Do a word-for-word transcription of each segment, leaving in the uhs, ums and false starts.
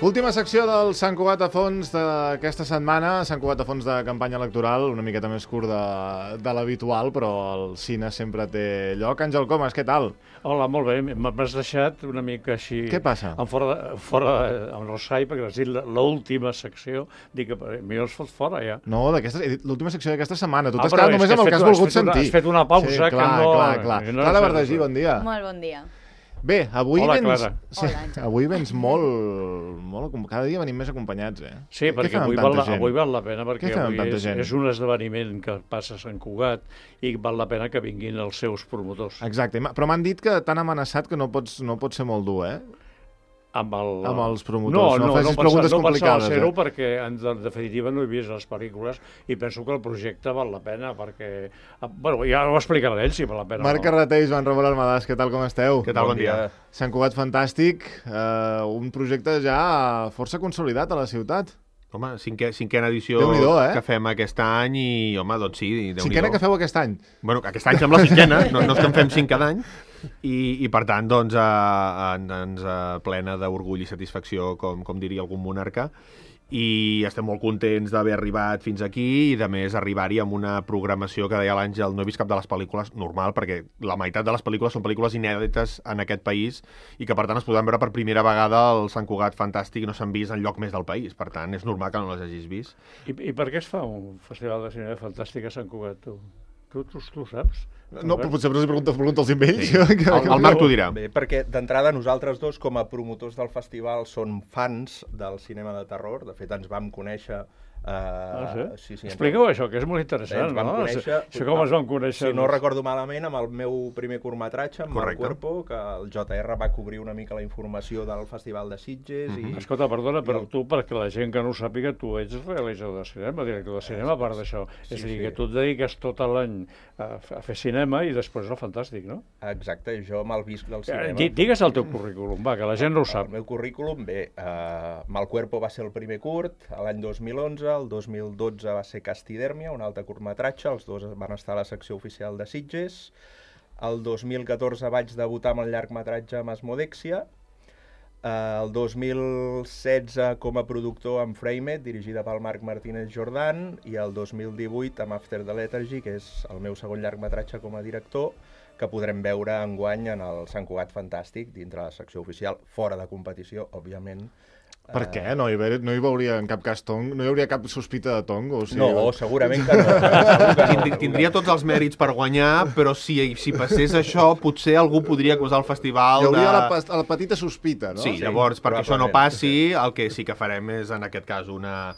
Última secció del Sant Cugat a Fons d'aquesta setmana. Sant Cugat a Fons de campanya electoral, una miqueta més curt de, de l'habitual, però el cine sempre té lloc. Àngel Comas, què tal? Hola, molt bé. M'has deixat una mica així... Què passa? En fora, de, fora amb el Rai, perquè has dit l'última secció. Dic que millor es fot fora, ja. No, l'última secció d'aquesta setmana. Tu ah, t'has quedat només amb el que has volgut sentir. Has fet una pausa sí, clar, que no... Clar, clar, clar. Clara Verdagí, bon dia. Molt bon dia. Bé, avui Hola, vens... Clara. Sí, Hola, avui vens molt, molt... Cada dia venim més acompanyats, eh? Sí, Què perquè avui val, la, avui val la pena, perquè avui és, és un esdeveniment que passa a Sant Cugat i val la pena que vinguin els seus promotors. Exacte, però m'han dit que t'han amenaçat que no pots, no pots ser molt dur, eh? Amb, el... amb els promotors. No, no, no, facis no, preguntes pensava, no complicades. No ser-ho eh? perquè, en definitiva, no he vist les pel·lícules i penso que el projecte val la pena perquè... Bueno, ja ho explicarà ell, si val la pena. Marc Carreter i Joan Ramon Almadàs, què tal, com esteu? Què tal, bon, bon dia. dia. Sant Cugat Fantàstic, eh, un projecte ja força consolidat a la ciutat. Home, cinquè, cinquena edició eh? que fem aquest any i, home, doncs sí, Déu-n'hi-do. Cinquena que feu aquest any? Bueno, aquest any sembla cinquena, no, no és que en fem cinc cada any, i, i per tant, doncs, eh, ens eh, plena d'orgull i satisfacció, com, com diria algun monarca, i estem molt contents d'haver arribat fins aquí i, de més, arribar-hi amb una programació que deia l'Àngel, no he vist cap de les pel·lícules normal, perquè la meitat de les pel·lícules són pel·lícules inèdites en aquest país i que, per tant, es podran veure per primera vegada al Sant Cugat Fantàstic, no s'han vist enlloc més del país. Per tant, és normal que no les hagis vist. I, i per què es fa un festival de cinema fantàstic a Sant Cugat, tu? Tu, tu, tu saps? No, però potser si pregunta, pregunta els ells. Sí. El, el Marc t'ho dirà. Bé, perquè d'entrada nosaltres dos, com a promotors del festival, som fans del cinema de terror. De fet, ens vam conèixer... Uh, ah, sí? Sí, sí, expliqueu ens... això, que és molt interessant, no? Conèixer, això com es van conèixer? Si no recordo malament, amb el meu primer curtmetratge, amb el Cuerpo, que el J R va cobrir una mica la informació del Festival de Sitges. Mm-hmm. i... Escolta, perdona, però el... tu, perquè la gent que no ho sàpiga, tu ets realitzador de cinema, director de cinema, a part d'això. Sí, és a dir, sí. que tu et dediques tot l'any a, a fer cinema i després el fantàstic, no? Exacte, jo me'l visc del cinema. D digues el teu currículum, va, que la gent no ho sap. El meu currículum, bé, uh, Mal Cuerpo va ser el primer curt, l'any dos mil onze, el dos mil dotze va ser Castidèrmia, un altre curtmetratge, els dos van estar a la secció oficial de Sitges. El dos mil catorze vaig debutar amb el llargmetratge amb Asmodèxia. El dos mil setze com a productor amb Framed, dirigida pel Marc Martínez Jordan, i el dos mil divuit amb After the Lethargy, que és el meu segon llargmetratge com a director, que podrem veure enguany en el Sant Cugat Fantàstic, dintre la secció oficial, fora de competició, òbviament. Per què? No hi, haver, no hi veuria en cap cas tong? No hi hauria cap sospita de tong? O sigui... No, segurament que no. Que no. Tindria tots els mèrits per guanyar, però si, si passés això, potser algú podria acusar el festival de... Hi hauria de... la, la petita sospita, no? Sí, sí, llavors, perquè això no passi, el que sí que farem és, en aquest cas, una...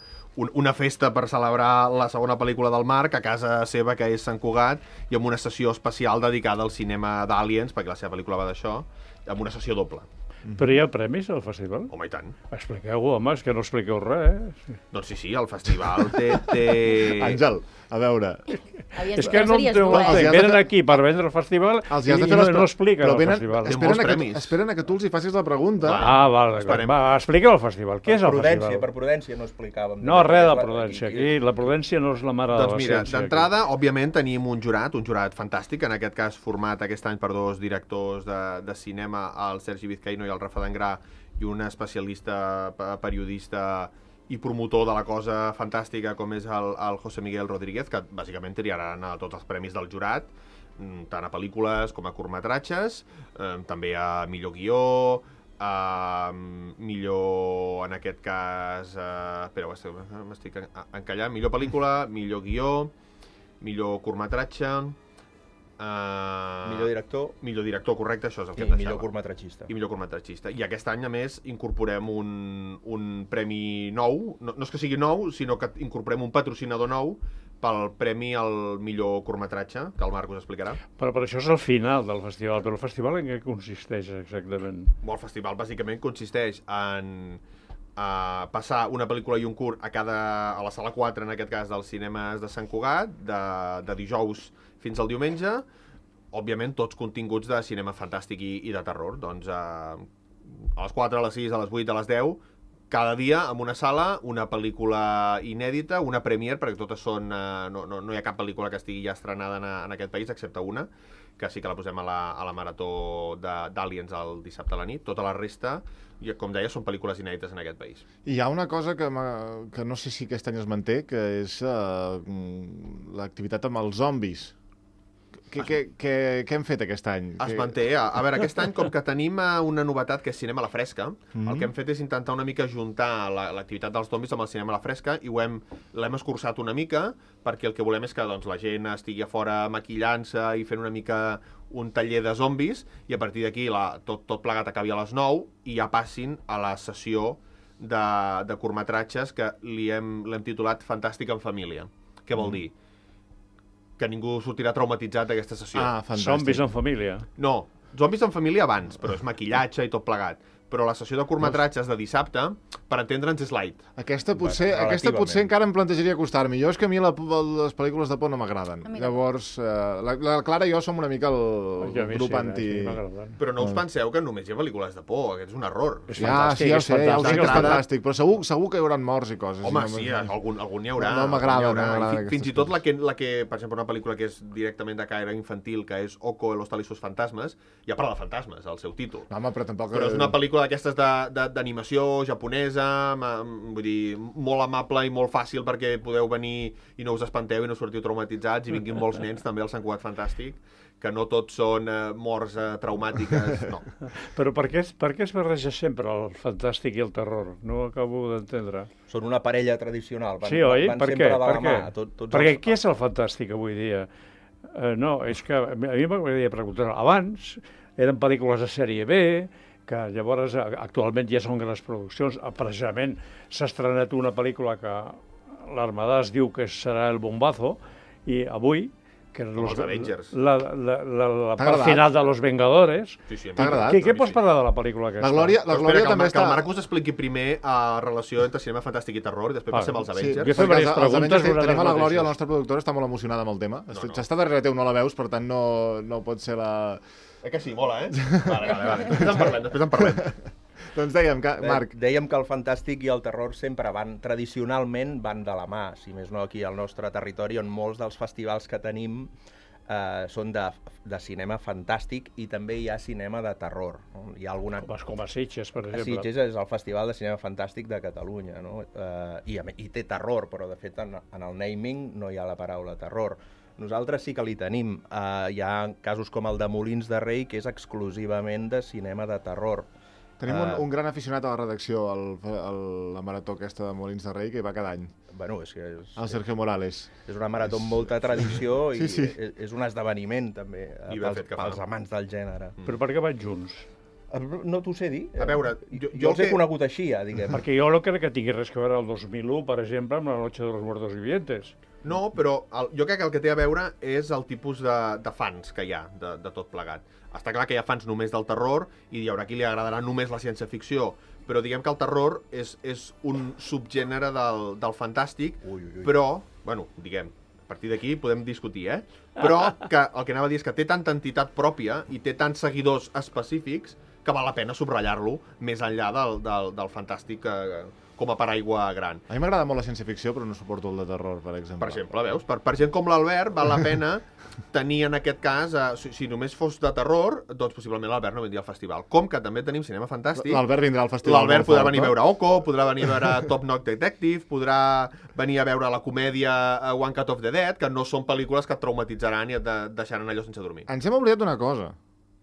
una festa per celebrar la segona pel·lícula del Marc a casa seva, que és Sant Cugat, i amb una sessió especial dedicada al cinema d'Aliens, perquè la seva pel·lícula va d'això, amb una sessió doble. Però hi ha premis al festival? Home, i tant. Expliqueu-ho, home, és que no expliqueu res, eh? Doncs sí, sí, el festival té... té... Àngel, a veure... Havies, és que no entenc, eh? venen fer... aquí per vendre el festival i, i no, no expliquen el venen, festival. Esperen a, que, esperen a que tu els hi facis la pregunta. Ah, val, va, expliqueu el festival. Què és el prudència, festival? Per prudència no explicàvem. No, res de prudència. Aquí la prudència no és la mare doncs de la mira, ciència. D'entrada, òbviament, tenim un jurat, un jurat fantàstic, en aquest cas format aquest any per dos directors de, de cinema, el Sergi Vizcaíno i el Rafa Dangrà, i un especialista, periodista i promotor de la cosa fantàstica com és el, el José Miguel Rodríguez, que bàsicament triaran a tots els premis del jurat, tant a pel·lícules com a curtmetratges, eh, també a millor guió, a millor, en aquest cas, eh, espera, m'estic encallant, millor pel·lícula, millor guió, millor curtmetratge... Uh, millor director millor director, correcte, això és el que i et millor curtmetratgista i millor curtmetratgista i aquest any a més incorporem un, un premi nou, no, no és que sigui nou sinó que incorporem un patrocinador nou pel premi al millor curtmetratge, que el Marc us explicarà. Però per això és el final del festival, però el festival en què consisteix exactament? El festival bàsicament consisteix en uh, passar una pel·lícula i un curt a cada a la sala quatre, en aquest cas dels cinemes de Sant Cugat, de, de dijous fins al diumenge, òbviament tots continguts de cinema fantàstic i, i de terror. Doncs eh, a les quatre, a les sis, a les vuit, a les deu, cada dia en una sala una pel·lícula inèdita, una premiere, perquè totes són... Eh, no, no, no hi ha cap pel·lícula que estigui ja estrenada en, en aquest país, excepte una, que sí que la posem a la, a la marató d'Aliens el dissabte a la nit. Tota la resta, com deia, són pel·lícules inèdites en aquest país. I hi ha una cosa que, que no sé si aquest any es manté, que és uh, l'activitat amb els zombis. Què, què, què, què hem fet aquest any? Es manté. A, a veure, aquest any, com que tenim una novetat que és cinema a la fresca, mm-hmm. el que hem fet és intentar una mica juntar l'activitat dels zombis amb el cinema a la fresca i ho hem l'hem escurçat una mica perquè el que volem és que doncs, la gent estigui a fora maquillant-se i fent una mica un taller de zombis i a partir d'aquí tot, tot plegat acabi a les nou i ja passin a la sessió de, de curtmetratges que li hem, l'hem titulat Fantàstic en família. Què vol mm. dir? Que ningú sortirà traumatitzat d'aquesta sessió. Ah, fantàstic. Zombis en família. No, zombis en família abans, però és maquillatge i tot plegat. Però la sessió de curtmetratges de dissabte, per entendre'ns, és light. Aquesta potser, Va, aquesta potser encara em plantejaria acostar-m'hi. Jo és que a mi la, les pel·lícules de por no m'agraden. Llavors, eh, la, la Clara i jo som una mica el ja grup sí, anti... Sí, però no us penseu que només hi ha pel·lícules de por, aquest és un error. És ja, sí, ja ho sé, ja ho sé que és fantàstic, però segur, segur que hi haurà morts i coses. Home, no sí, algun, algun n'hi haurà. No, no m'agrada. No fins, fins i tot la que, la que, per exemple, una pel·lícula que és directament de caire infantil, que és Oko, los tal i sus fantasmes, ja parla de fantasmes, el seu títol. No, home, però tampoc... Però és una pel·lícula d'aquestes de, d'animació japonesa, vull dir, molt amable i molt fàcil perquè podeu venir i no us espanteu i no sortiu traumatitzats i vinguin molts nens també al Sant Cugat Fantàstic, que no tots són eh, morts eh, traumàtiques, no. Però per què, per què es barreja sempre el fantàstic i el terror? No ho acabo d'entendre. Són una parella tradicional, van, sí, oi? van per sempre què? de la per mà. Què? Tot, tots perquè els... què és el fantàstic avui dia? Uh, no, és que a mi m'agradaria preguntar. Abans eren pel·lícules de sèrie B, que llavors actualment ja són grans produccions. Precisament s'ha estrenat una pel·lícula que l'Armada es diu que serà el bombazo, i avui, que és los Avengers. La, la, la, la part final de Los Vengadores. Sí, sí, t'ha agradat? Què, què pots parlar de la pel·lícula aquesta? La Glòria, la Glòria també que està... el Marc us expliqui primer la uh, relació entre cinema fantàstic i terror i després ah, passem als Avengers. Sí, perquè els, els Avengers tenim a la Glòria, la nostra productora està molt emocionada amb el tema. No, no. S'està darrere teu, no la veus, per tant no, no pot ser la... Eh que sí, mola, eh? Vale, vale, vale. Després en parlem, després en parlem. Doncs dèiem, que, Marc... Dèiem que el fantàstic i el terror sempre van, tradicionalment, van de la mà, si més no aquí al nostre territori, on molts dels festivals que tenim eh, són de, de cinema fantàstic i també hi ha cinema de terror. No? Hi ha alguna... Com, com a Sitges, per exemple. Sitges és el Festival de Cinema Fantàstic de Catalunya, no? Eh, i, i té terror, però de fet en, en el naming no hi ha la paraula terror. Nosaltres sí que li tenim. Uh, hi ha casos com el de Molins de Rei, que és exclusivament de cinema de terror. Tenim uh, un, un gran aficionat a la redacció, el, el, la marató aquesta de Molins de Rei, que hi va cada any. Bueno, és que és, el Sergio Morales. És una marató amb molta tradició i sí, sí. És, és un esdeveniment, també, I pels, pels amants del gènere. Mm. Però per què van junts? No t'ho sé dir. A veure, jo, jo els he que... conegut així, ja, diguem. Perquè jo no crec que tingui res que veure el dos mil u, per exemple, amb la Noche de los Muertos Vivientes. No, però el, jo crec que el que té a veure és el tipus de, de fans que hi ha de, de tot plegat. Està clar que hi ha fans només del terror i hi haurà qui li agradarà només la ciència-ficció, però diguem que el terror és, és un subgènere del, del fantàstic, ui, ui, ui. Però, bueno, diguem, a partir d'aquí podem discutir, eh? Però que el que anava a dir és que té tanta entitat pròpia i té tants seguidors específics que val la pena subratllar-lo més enllà del, del, del fantàstic eh, com a paraigua gran. A mi m'agrada molt la ciència-ficció, però no suporto el de terror, per exemple. Per exemple, veus? Per, per gent com l'Albert val la pena tenir en aquest cas, eh, si, si només fos de terror, doncs possiblement l'Albert no vindria al festival. Com que també tenim cinema fantàstic. L'Albert vindrà al festival. L'Albert podrà venir a veure Oko, podrà venir a veure Top Knock Detective, podrà venir a veure la comèdia One Cut of the Dead, que no són pel·lícules que et traumatitzaran i et deixaran allò sense dormir. Ens hem oblidat d'una cosa,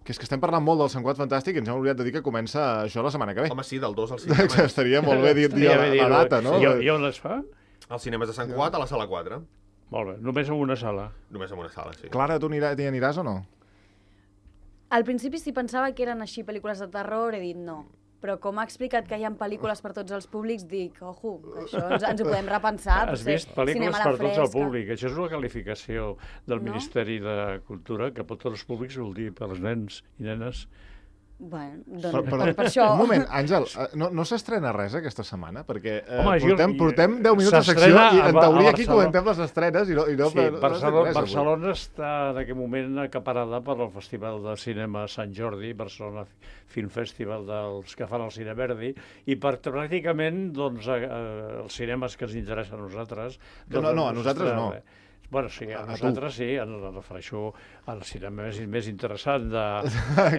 que és que estem parlant molt del Sant Cugat Fantàstic i ens hem oblidat de dir que comença això la setmana que ve. Home, sí, del dos al cinc. Estaria molt bé dir, dir la, la data, no? I, I on es fa? Als cinemes de Sant Cugat, a la sala quatre. Molt bé, només en una sala. Només en una sala, sí. Clara, tu anirà, t'hi aniràs o no? Al principi sí pensava que eren així pel·lícules de terror, he dit no. Però com ha explicat que hi ha pel·lícules per tots els públics, dic, ojo, que això ens, ens ho podem repensar. Has vist pel·lícules per tots el públic. Això és una qualificació del no? Ministeri de Cultura, que per tots els públics vol dir per als nens i nenes. Bueno, doncs, Per, per, per, per això... Un moment, Àngel, eh, no, no s'estrena res aquesta setmana? Perquè eh, Home, jo- portem, portem deu minuts de secció s'estrena i a en Ba- a teoria aquí Barcelona. comentem les estrenes i no, i no, Sí, no, no Barcelona, res, avui. Barcelona està en aquest moment acaparada per al Festival de Cinema Sant Jordi, Barcelona Film Festival dels que fan el Cine Verdi, i per pràcticament doncs, eh, els cinemes que ens interessen a nosaltres... No, no, no, a nosaltres no. Bueno, sí, a, A- a nosaltres sí, em refereixo al cinema més, més interessant, de,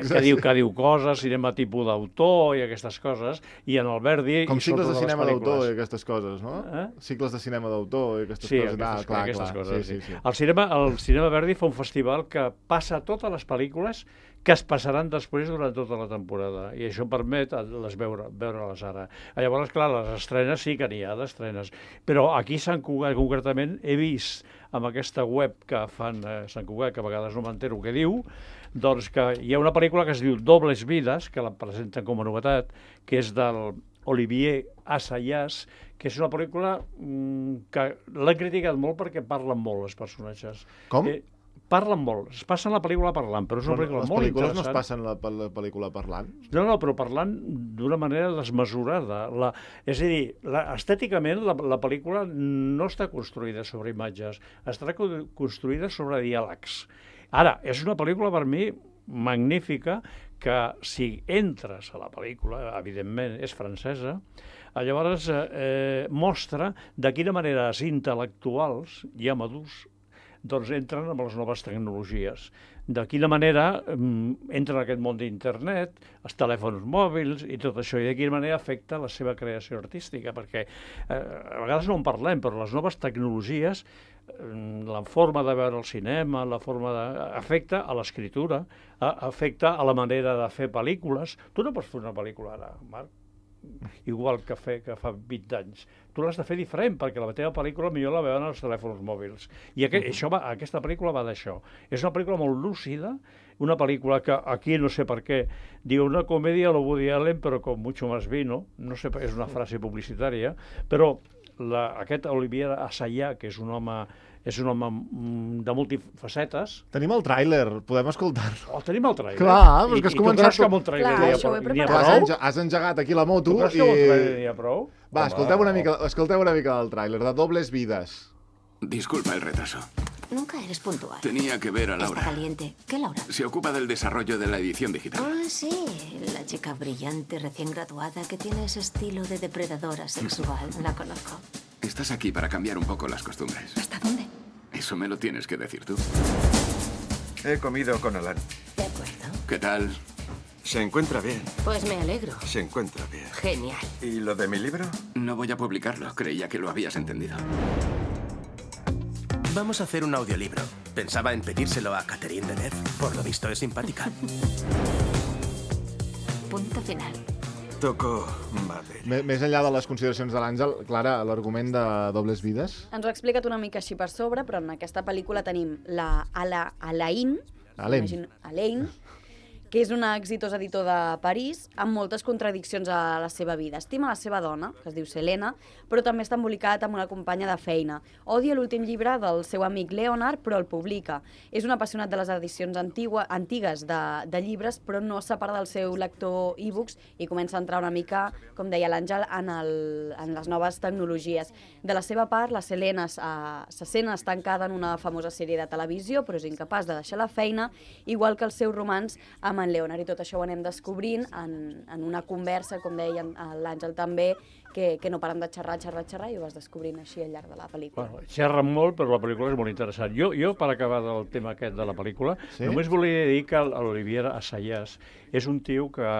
que, diu, que diu coses, cinema tipus d'autor i aquestes coses, i en el Verdi... Com i cicles de sobretot les cinema d'autor pel·lícules. i aquestes coses, no? Eh? Cicles de cinema d'autor i aquestes Sí, coses. aquestes, Ah, clar, aquestes clar. coses. Sí, sí, sí. El, cinema, el Cinema Verdi fa un festival que passa totes les pel·lícules que es passaran després durant tota la temporada, i això permet les veure, veure-les ara. Llavors, clar, les estrenes sí que n'hi ha d'estrenes, però aquí a Sant Cugat, concretament, he vist amb aquesta web que fan a Sant Cugat, que a vegades no m'entero què diu, doncs que hi ha una pel·lícula que es diu Dobles vides, que la presenten com a novetat, que és del Olivier Assayas, que és una pel·lícula mm, que l'han criticat molt perquè parlen molt els personatges. Com? Eh, parlen molt, es passen la pel·lícula parlant, però és una pel·lícula les molt pel·lícules no es interessant. passen la, la pel·lícula parlant? No, no, però parlant d'una manera desmesurada. La, és a dir, la, estèticament la, la pel·lícula no està construïda sobre imatges, està co- construïda sobre diàlegs. Ara, és una pel·lícula per mi magnífica que si entres a la pel·lícula, evidentment és francesa, llavors eh, mostra de quina manera els intel·lectuals, ja madurs, doncs entren amb les noves tecnologies. De quina manera mm, entren en aquest món d'internet, els telèfons mòbils i tot això, i de quina manera afecta la seva creació artística, perquè eh, a vegades no en parlem, però les noves tecnologies, eh, la forma de veure el cinema, la forma de... afecta a l'escriptura, a, afecta a la manera de fer pel·lícules. Tu no pots fer una pel·lícula ara, Marc, igual que, fer, que fa vint anys. Tu l'has de fer diferent, perquè la teva pel·lícula millor la veuen als telèfons mòbils. I aquest, això va, aquesta pel·lícula va d'això. És una pel·lícula molt lúcida, una pel·lícula que aquí no sé per què diu una comèdia a lo Woody Allen, però con mucho más vino, no sé, és una frase publicitària, però la, aquest Olivier Assayas, que és un home és un home mm, de multifacetes. Tenim el tràiler, podem escoltar-lo. Oh, tenim el tràiler. Clar, però és I, que has i tu començat... creus que amb un tràiler Clar, n'hi ha això ho he prou? N'hi ha preparat. Has, prou? enge has engegat aquí la moto Tu creus i... que amb un tràiler n'hi ha prou? Va, escolteu una, mica, escolteu una mica del tràiler, de Dobles vides. Disculpa el retraso. Nunca eres puntual. Tenía que ver a Está Laura. caliente. ¿Qué Laura? Se ocupa del desarrollo de la edición digital. Ah, sí. La chica brillante, recién graduada, que tiene ese estilo de depredadora sexual. La conozco. Estás aquí para cambiar un poco las costumbres. ¿Hasta dónde? Eso me lo tienes que decir tú. He comido con Alan. De acuerdo. ¿Qué tal? Se encuentra bien. Pues me alegro. Se encuentra bien. Genial. ¿Y lo de mi libro? No voy a publicarlo. Creía que lo habías entendido. Vamos a hacer un audiolibro. Pensaba en pedírselo a Catherine Deneuve. Por lo visto es simpática. Punto final. Toco madera. M Més enllà de les consideracions de l'Àngel, Clara, l'argument de Dobles vides? Ens ho ha explicat una mica així per sobre, però en aquesta pel·lícula tenim la Ala, Alain, Alain. imagino- Alain, que és un exitós editor de París amb moltes contradiccions a la seva vida. Estima la seva dona, que es diu Selena, però també està embolicat amb una companya de feina. Odia l'últim llibre del seu amic Leonard, però el publica. És un apassionat de les edicions antigua, antigues de, de llibres, però no es separa del seu lector e-books i comença a entrar una mica, com deia l'Àngel, en, el, en les noves tecnologies. De la seva part, la Selena uh, se sent estancada en una famosa sèrie de televisió, però és incapaç de deixar la feina, igual que el seu romans amb en Leonard, i tot això ho anem descobrint en, en una conversa, com deia l'Àngel també, que, que no paren de xerrar, xerrar, xerrar, i ho vas descobrint així al llarg de la pel·lícula. Bueno, xerren molt, però la pel·lícula és molt interessant. Jo, jo per acabar del tema aquest de la pel·lícula, Sí? només volia dir que l'Olivier Assayas és un tio que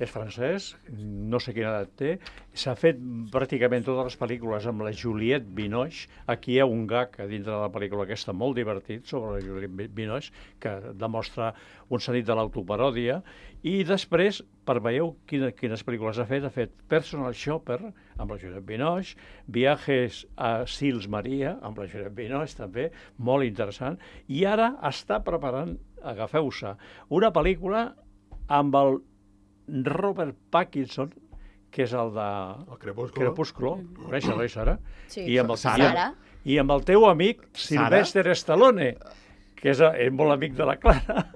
és francès, no sé quina edat té, s'ha fet pràcticament totes les pel·lícules amb la Juliette Binoche. Aquí hi ha un gag a dintre de la pel·lícula aquesta molt divertit sobre la Juliette Binoche, que demostra un sentit de l'autoparòdia, i després, per veieu quines, quines pel·lícules ha fet, ha fet Personal Shopper, amb la Juliette Binoche, Viajes a Sils Maria, amb la Juliette Binoche també, molt interessant, i ara està preparant, agafeu-se, una pel·lícula amb el Robert Pattinson, que és el de El Crepúsculo. Crepúsculo, coneixes, oi, Sara? Sí. I amb el, Sara. I amb el teu amic Sylvester Stallone, que és, és molt amic de la Clara.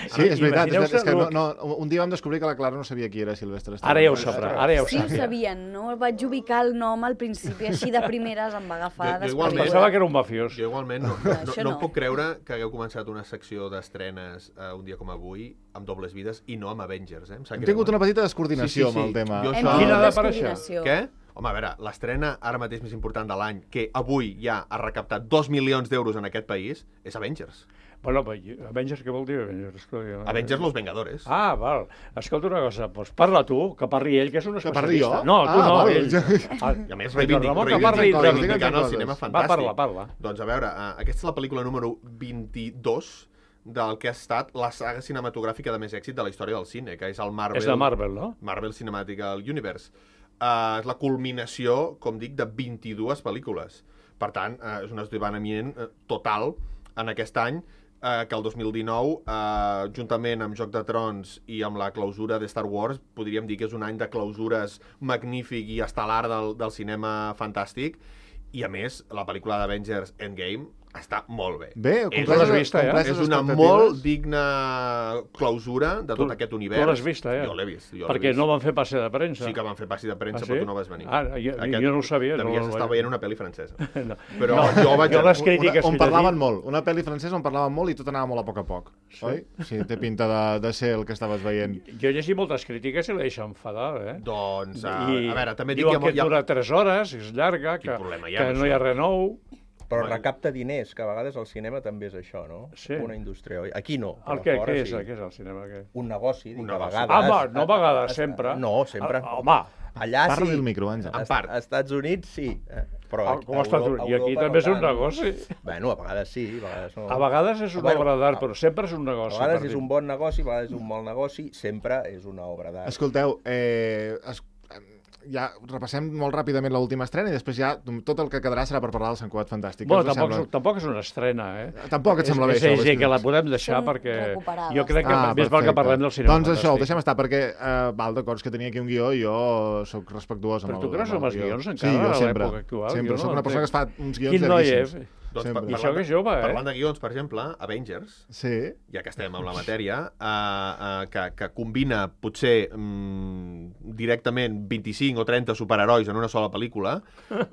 Sí, és veritat, és, Imagineu-se és que no, lo- no, un dia vam descobrir que la Clara no sabia qui era Sylvester Stallone. Ara ja ho sabrà, ara ja ho Sí, ho sabia. sabien, no vaig ubicar el nom al principi, així de primeres em va agafar Jo- jo Es igualment- pensava desprevinguda. que era un mafiós. Jo igualment no, no, Això no, no. em puc creure que hagueu començat una secció d'estrenes uh, un dia com avui, amb Dobles Vides, i no amb Avengers, eh? Em sap Hem greu, tingut eh? una petita descoordinació Sí, sí, sí. amb el tema. Jo Hem això- tingut Quina ha d'aparèixer? descoordinació. Què? Home, a veure, l'estrena ara mateix més important de l'any, que avui ja ha recaptat dos milions d'euros en aquest país, és Avengers. Bueno, però Avengers, què vol dir Avengers? Avengers Los Vengadores. Ah, val. Escolta una cosa, doncs parla tu, que parli ell, que és un Que parli especialista. jo? No, tu Ah, no, val. ell. Ah, I a més, Ramon, reivindic, que reivindic, parli, coses, reivindicant digue'm el coses. cinema Va, fantàstic. parla, parla. Doncs a veure, uh, aquesta és la pel·lícula número vint-i-dos del que ha estat la saga cinematogràfica de més èxit de la història del cine, que és el Marvel... És de Marvel, no? Marvel Cinematic Universe. Uh, és la culminació, com dic, de vint-i-dues pel·lícules. Per tant, uh, és un esdeveniment uh, total en aquest any, uh, que el dos mil dinou, uh, juntament amb Joc de Trons i amb la clausura de Star Wars, podríem dir que és un any de clausures magnífic i estel·lar del, del cinema fantàstic, i a més, la pel·lícula d'Avengers Endgame està molt bé. Bé, És- tu l'has vista, ja? completes és una expectatives. molt digna clausura de tot Tu- aquest univers. Tu l'has vista, eh? Jo l'he vist. Jo l'he Perquè vist. no van fer passe de premsa. Sí que van fer passi de premsa, Ah, sí? però tu no vas venir. Ah, jo- jo no ho sabia, no, Devies no, estar no. veient una pel·li francesa. No. Però No, jo vaig... jo les Una, crítiques on que he parlaven llegit- molt. Una pel·li francesa on parlaven molt i tot anava molt a poc a poc. Sí? Oi? Sí, té pinta de, de ser el que estaves veient. Jo he llegit moltes crítiques i la deixo enfadar, eh? Doncs, a, I a veure, també dic diuen que... que dura tres hores, és llarga, Quin que, problema hi ha que amb no hi ha això? res nou. Però recapta diners, que a vegades el cinema també és això, no? Sí. Una indústria, oi? Aquí no, El però què, fora què és, sí. què és el cinema? Què? Un negoci, dic, Un a negoci. vegades... Ah, va, no a vegades, sempre. No, sempre. Ah, home, Allà sí. Parla del micro, Àngel. En part. Als Estats Units sí. eh, Però ah, aquí- com està tu? Euro- I aquí Europa també no és un tant. negoci. Bueno, a vegades sí, a vegades no. A vegades és una Bueno, obra d'art, a- però sempre és un A negoci. vegades per és dir. un bon negoci, a vegades és un mal negoci, sempre és una obra d'art. Escolteu, eh, es, ja repassem molt ràpidament l'última estrena i després ja tot el que quedarà serà per parlar del Sant Cugat Fantàstic. Bueno, Què us tampoc, sembla? tampoc és una estrena, eh? Tampoc et sembla bé, és, això, És, és, vols que la dir? podem deixar Són perquè... recuperades. Jo crec que Ah, més val que perfecte. parlem del cinema Doncs això, ho fantàstic. deixem estar, perquè, eh, val, d'acord, és que tenia aquí un guió i jo sóc respectuós amb Però el tu creus amb el en els guió. guions encara, sí, jo a sempre, l'època actual? sempre. Jo Soc no una persona que es fa entenc. uns guions Quin noi llarguíssims. és? Doncs, Sempre. pa- I això que és jove, eh? Parlant de guions, per exemple, Avengers, Sí. ja que estem amb la matèria, uh, uh, que, que combina potser um, directament vint-i-cinc o trenta superherois en una sola pel·lícula,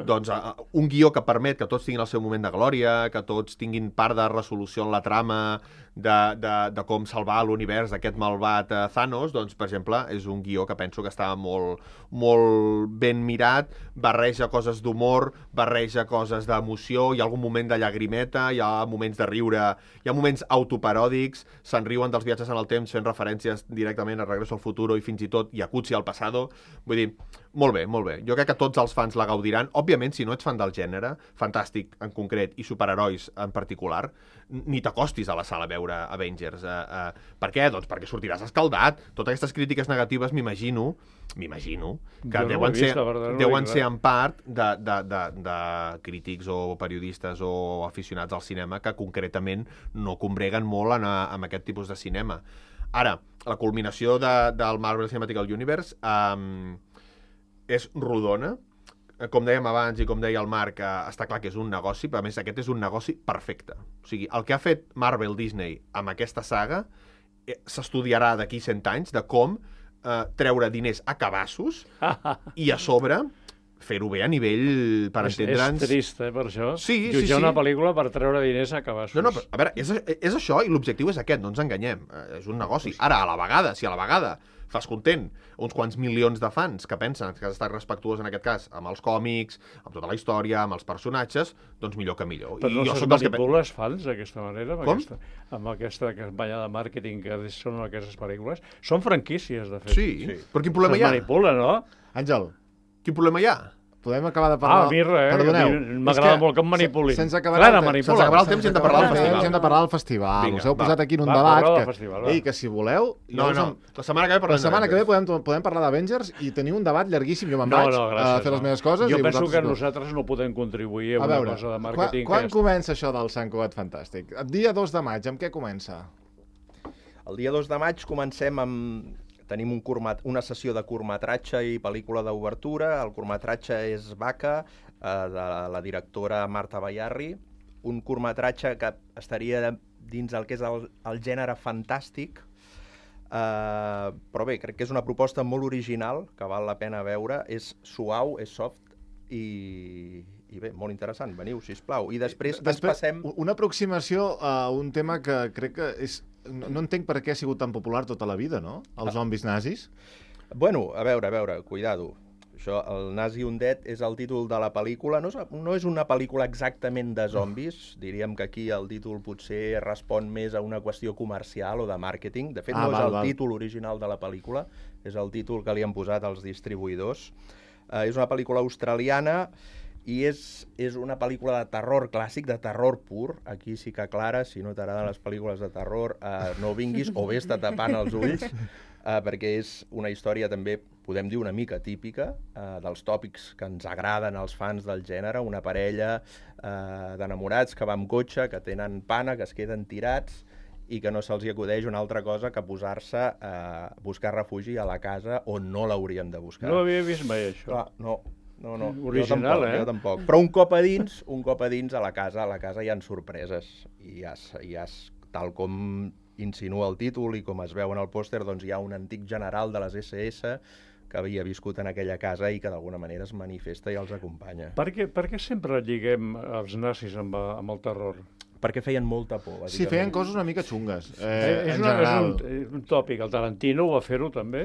doncs uh, un guió que permet que tots tinguin el seu moment de glòria, que tots tinguin part de resolució en la trama, de, de, de com salvar l'univers d'aquest malvat uh, Thanos, doncs, per exemple, és un guió que penso que està molt, molt ben mirat, barreja coses d'humor, barreja coses d'emoció, hi ha algun moment de llagrimeta, hi ha moments de riure, hi ha moments autoparòdics, se'n riuen dels viatges en el temps fent referències directament a Regreso al Futuro i fins i tot Jacuzzi al Pasado. Vull dir, molt bé, molt bé. Jo crec que tots els fans la gaudiran. Òbviament, si no ets fan del gènere, fantàstic en concret i superherois en particular, ni t'acostis a la sala a veure Avengers. Uh, uh, per què? Doncs perquè sortiràs escaldat. Totes aquestes crítiques negatives, m'imagino, m'imagino, que Jo no ho he deuen, vist, ser, la veritat, no he deuen vist ser res. en part de, de, de, de crítics o periodistes o aficionats al cinema que concretament no combreguen molt en, en aquest tipus de cinema. Ara, la culminació de, del Marvel Cinematic Universe um, és rodona. Com dèiem abans i com deia el Marc, eh, està clar que és un negoci, però a més aquest és un negoci perfecte. O sigui, el que ha fet Marvel Disney amb aquesta saga eh, s'estudiarà d'aquí cent anys de com eh, treure diners a cabassos i a sobre fer-ho bé a nivell, per És, és entendre'ns... trist, eh, per això. Sí, sí, Jutjar sí. una pel·lícula per treure diners a cabassos. No, no, però, a veure, és, és això i l'objectiu és aquest, no ens enganyem. Eh, és un negoci. Ara, a la vegada, si a la vegada fas content uns quants milions de fans que pensen que has estat respectuós, en aquest cas, amb els còmics, amb tota la història, amb els personatges, doncs millor que millor. Però no jo se'ls sóc dels que... manipula els fans d'aquesta manera, amb Com? aquesta, amb aquesta campanya de màrqueting que són aquestes pel·lícules. Són franquícies, de fet. Sí, sí, però quin problema Se'ls hi ha? manipula, no? Àngel, Quin problema hi ha? podem acabar de parlar... Ah, a mi res, Perdoneu. a mi m'agrada molt que em manipulin. Se- Sense acabar Clara, el te- manipula. Sense acabar el temps i hem de parlar del Sense acabar el festival. temps hem de parlar del festival. Vinga, Us heu va. posat aquí en un Va, debat parleu del que... festival, va. Ei, que si voleu... jo No, us no, em- la setmana que ve La parlem setmana que ve d'Avengers. podem, podem parlar d'Avengers i tenir un debat llarguíssim. Jo me'n No, vaig no, a gràcies. fer les no. meves coses. Jo i penso vosaltres que no. nosaltres no podem contribuir a, A una veure, cosa de quan, màrqueting. quan que és... comença això del Sant Cugat Fantàstic? El dia dos de maig, amb què comença? El dia dos de maig comencem amb... Tenim un curmat... una sessió de curtmetratge i pel·lícula d'obertura. El curtmetratge és Vaca, eh, de la directora Marta Bayarri. Un curtmetratge que estaria dins el que és el, el gènere fantàstic, uh, però bé, crec que és una proposta molt original, que val la pena veure, és suau, és soft i, i bé, molt interessant. Veniu, sisplau. I després, després ens passem... Una aproximació a un tema que crec que és... No, no entenc per què ha sigut tan popular tota la vida, no? Els zombis nazis. Bueno, a veure, a veure, cuidado. Això, el Nazi Undead és el títol de la pel·lícula. No és, no és una pel·lícula exactament de zombis. Diríem que aquí el títol potser respon més a una qüestió comercial o de màrqueting. De fet, ah, no val, és el val. títol original de la pel·lícula, és el títol que li han posat els distribuïdors. Uh, és una pel·lícula australiana i és, és una pel·lícula de terror clàssic, de terror pur. Aquí sí que, Clara, si no t'agraden les pel·lícules de terror, uh, no vinguis o vés-te tapant els ulls, uh, perquè és una història també, podem dir, una mica típica, uh, dels tòpics que ens agraden als fans del gènere, una parella uh, d'enamorats que va amb cotxe, que tenen pana, que es queden tirats, i que no se'ls acudeix una altra cosa que posar-se a buscar refugi a la casa on no l'haurien de buscar. No havia vist mai això. Clar, no, no, no. Original, jo tampoc, eh? Jo tampoc. Però un cop a dins, un cop a dins a la casa, a la casa hi ha sorpreses. I ja, ja tal com insinua el títol i com es veu en el pòster, doncs hi ha un antic general de les esse esse que havia viscut en aquella casa i que d'alguna manera es manifesta i els acompanya. Per què, per què sempre lliguem els nazis amb, amb el terror? Perquè feien molta por. Sí, feien coses una mica xungues, eh, eh, és, en una, general. és, un, és un tòpic, el Tarantino va fer-ho també,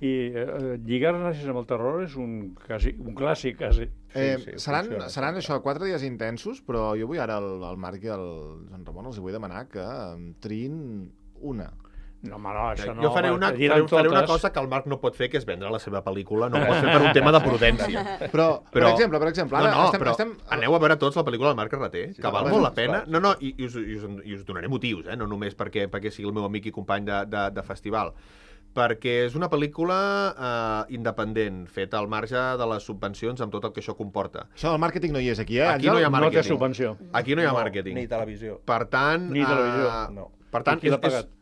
i eh, lligar els nazis amb el terror és un, quasi, un clàssic, quasi. Eh, Sí, sí, seran funciona, seran funciona. això, quatre dies intensos, però jo vull ara al, al Marc i al Joan Ramon els vull demanar que em triïn una. No, home, no, això no. Jo faré una, home, faré, faré una totes. cosa que el Marc no pot fer, que és vendre la seva pel·lícula, no ho pot fer per un tema de prudència. Però, per exemple, per exemple, ara no, no, estem... però estem... aneu a veure tots la pel·lícula del Marc Carreter, Sí, que val sí, molt sí, la pena. sí, No, no, i, i, us, i, us, i us donaré motius, eh? No només perquè, perquè sigui el meu amic i company de, de, de festival. Perquè és una pel·lícula eh, independent, feta al marge de les subvencions amb tot el que això comporta. Això del màrqueting no hi és aquí, eh? Aquí no hi ha No té màrqueting. subvenció. Aquí no hi ha No, màrqueting. ni televisió. Per tant... Ni televisió. eh, No. Per tant, Qui l'ha és, és, pagat?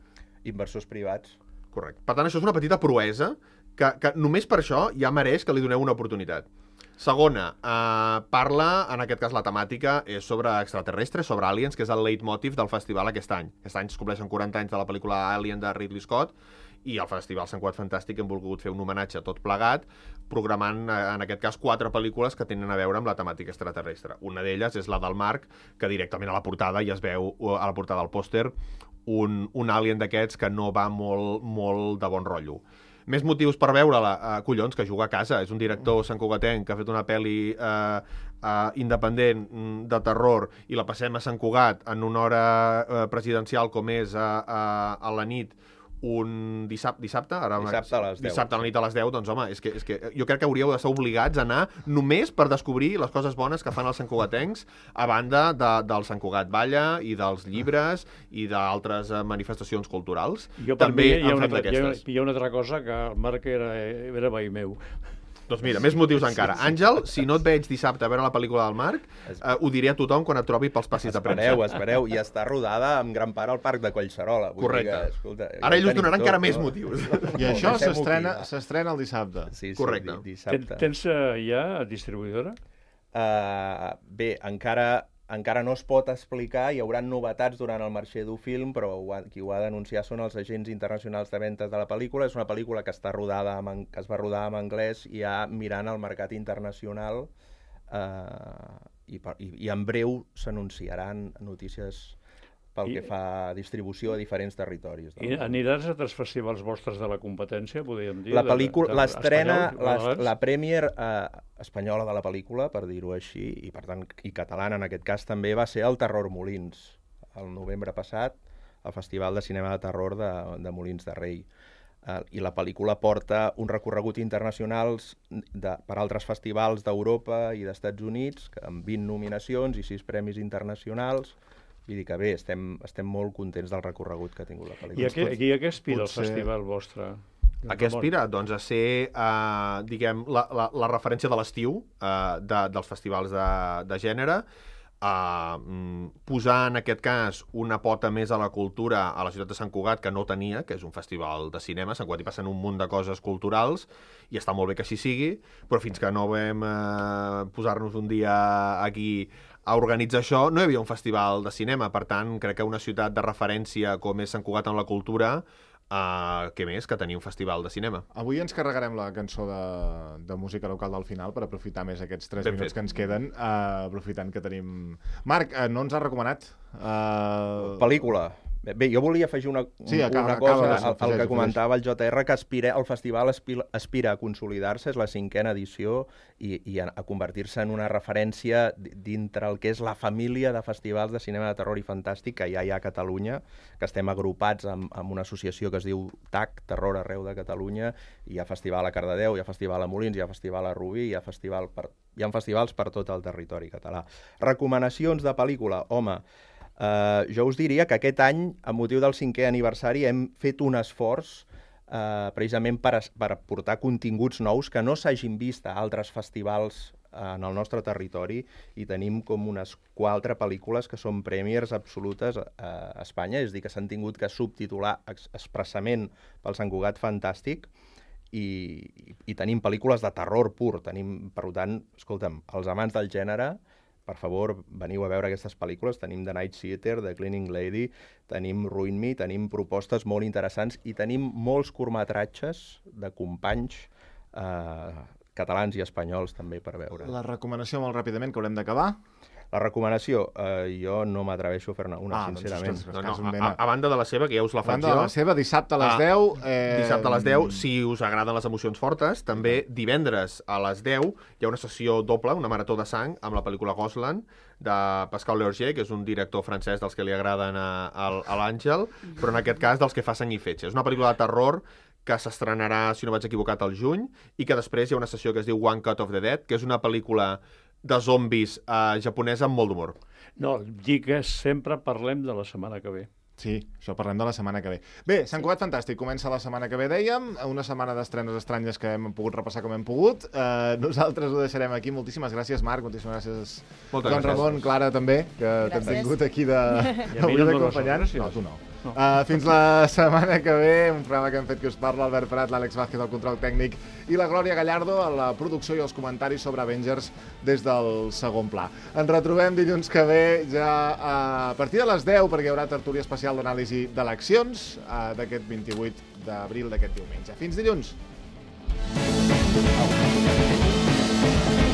Inversors privats. Correcte. Per tant, això és una petita proesa que, que només per això ja mereix que li doneu una oportunitat. Segona, eh, parla, en aquest cas la temàtica és sobre extraterrestres, sobre aliens, que és el leitmotiv del festival aquest any. Aquest any es compleixen quaranta anys de la pel·lícula Alien de Ridley Scott i al Festival Sant Cugat Fantàstic hem volgut fer un homenatge tot plegat, programant, en aquest cas, quatre pel·lícules que tenen a veure amb la temàtica extraterrestre. Una d'elles és la del Marc, que directament a la portada ja es veu, a la portada del pòster, un, un alien d'aquests que no va molt, molt de bon rotllo. Més motius per veure-la, uh, collons, que juga a casa. És un director santcugatenc que ha fet una pel·li uh, uh, independent mm, de terror i la passem a Sant Cugat en una hora uh, presidencial com és a, a, a la nit un dissabte, dissabte? Ara, Dissabte a les deu. Dissabte a la nit a les deu, doncs home, és que, és que jo crec que hauríeu d'estar obligats a anar només per descobrir les coses bones que fan els santcugatencs a banda de, del Sant Cugat Balla i dels llibres i d'altres eh, manifestacions culturals. Jo, per També mi, hi ha, han una, fet altra- hi, ha, d'aquestes. hi ha una altra cosa, que el Marc era, era veí meu. Doncs mira, més motius encara. Àngel, si no et veig dissabte a veure la pel·lícula del Marc, eh, ho diré a tothom quan et trobi pels passis de premsa. Espereu, espereu, i està rodada en gran part al Parc de Collserola. Vull Correcte. dir que, escolta, ja Ara ho ells us tenim donaran tot, encara més no? motius. I això Deixem-ho s'estrena aquí, va. s'estrena el dissabte. Sí, sí, Correcte. di- Ten, dissabte. tens uh, ja distribuïdora? Uh, bé, encara, encara no es pot explicar, hi haurà novetats durant el Marché du Film, però ho ha, qui ho ha d'anunciar són els agents internacionals de ventes de la pel·lícula. És una pel·lícula que, està rodada en, que es va rodar en anglès i ja mirant el mercat internacional uh, i, per, i, i en breu s'anunciaran notícies pel I- que fa a distribució a diferents territoris. I aniràs a altres festivals vostres de la competència, podríem dir? La de- pel·lícula, de- l'estrena, espanyols, la, la premier eh, espanyola de la pel·lícula, per dir-ho així, i per tant, i catalana en aquest cas també, va ser el Terror Molins, el novembre passat, al Festival de Cinema de Terror de, de Molins de Rei. Eh, I la pel·lícula porta un recorregut internacional de, per altres festivals d'Europa i d'Estats Units, que amb vint nominacions i sis premis internacionals. Vull dir que bé, estem, estem molt contents del recorregut que ha tingut la I pel·lícula. a què, i a què aspira Potser- el festival vostre? A què aspira? Doncs a ser, eh, diguem, la, la, la referència de l'estiu eh, de, dels festivals de, de gènere, eh, posar en aquest cas una pota més a la cultura a la ciutat de Sant Cugat, que no tenia, que és un festival de cinema. A Sant Cugat hi passen un munt de coses culturals i està molt bé que així sigui, però fins que no vam eh, posar-nos un dia aquí a organitzar això no hi havia un festival de cinema. Per tant, crec que una ciutat de referència com és Sant Cugat en la cultura, uh, què més que tenir un festival de cinema. Avui ens carregarem la cançó de, de música local del final per aprofitar més aquests tres Ben minuts fet. que ens queden, uh, aprofitant que tenim... Marc, uh, no ens ha recomanat? Uh... Pel·lícula. Bé, jo volia afegir una, Sí, acaba- una acaba cosa de- al, al afegeix, que comentava el J R, que aspira, el festival aspira, aspira a consolidar-se, és la cinquena edició, i, i a, a convertir-se en una referència di- dintre el que és la família de festivals de cinema de terror i fantàstic que ja hi ha a Catalunya, que estem agrupats amb, amb una associació que es diu T A C, Terror Arreu de Catalunya, i hi ha festival a Cardedeu, hi ha festival a Molins, hi ha festival a Rubí, hi ha, festival per, hi ha festivals per tot el territori català. Recomanacions de pel·lícula, home... Uh, jo us diria que aquest any, a motiu del cinquè aniversari, hem fet un esforç uh, precisament per, es- per portar continguts nous que no s'hagin vist a altres festivals uh, en el nostre territori, i tenim com unes quatre pel·lícules que són premiers absolutes uh, a Espanya, és a dir, que s'han tingut que subtitular ex expressament pel Sant Cugat Fantàstic, i, i, i tenim pel·lícules de terror pur. Tenim, per tant, escolta'm, els amants del gènere, per favor, veniu a veure aquestes pel·lícules. Tenim The Night Theater, The Cleaning Lady, tenim Ruin Me, tenim propostes molt interessants i tenim molts curtmetratges de companys eh, catalans i espanyols també per veure. La recomanació molt ràpidament, que haurem d'acabar. La recomanació, eh, jo no m'atreveixo a fer-ne una, Ah, doncs, sincerament. ostres, No, no, és un a, mena. a, a banda de la seva, que ja us la A faig banda de jo... la seva, dissabte a les Ah, deu... Eh... Dissabte a les deu, si us agraden les emocions fortes, també divendres a les deu hi ha una sessió doble, una marató de sang, amb la pel·lícula Gosland, de Pascal Leorger, que és un director francès dels que li agraden a, a, a l'Àngel, però en aquest cas dels que fa sang i fetge. És una pel·lícula de terror que s'estrenarà, si no vaig equivocat, al juny, i que després hi ha una sessió que es diu One Cut of the Dead, que és una pel·lícula de zombis eh, japonesa amb molt d'humor. No, dic que sempre parlem de la setmana que ve. Sí, això parlem de la setmana que ve. Bé, Sant Cugat Fantàstic comença la setmana que ve, dèiem, una setmana d'estrenes estranyes que hem pogut repassar com hem pogut. Uh, nosaltres ho deixarem aquí. Moltíssimes gràcies, Marc, moltíssimes gràcies, Moltes Joan gràcies. Ramon, Clara, també, que t'hem Gràcies. tingut aquí de... I a mi avui no em dones d'acompanyant. les gràcies. No, tu no. No. Uh, fins la setmana que ve, un programa que hem fet que us parla, Albert Prat, l'Àlex Vázquez, el control tècnic, i la Glòria Gallardo a la producció i els comentaris sobre Avengers des del segon pla. Ens retrobem dilluns que ve ja a partir de les deu, perquè hi haurà tertúlia especial d'anàlisi d'eleccions uh, d'aquest vint-i-vuit d'abril d'aquest diumenge. Fins dilluns! Au.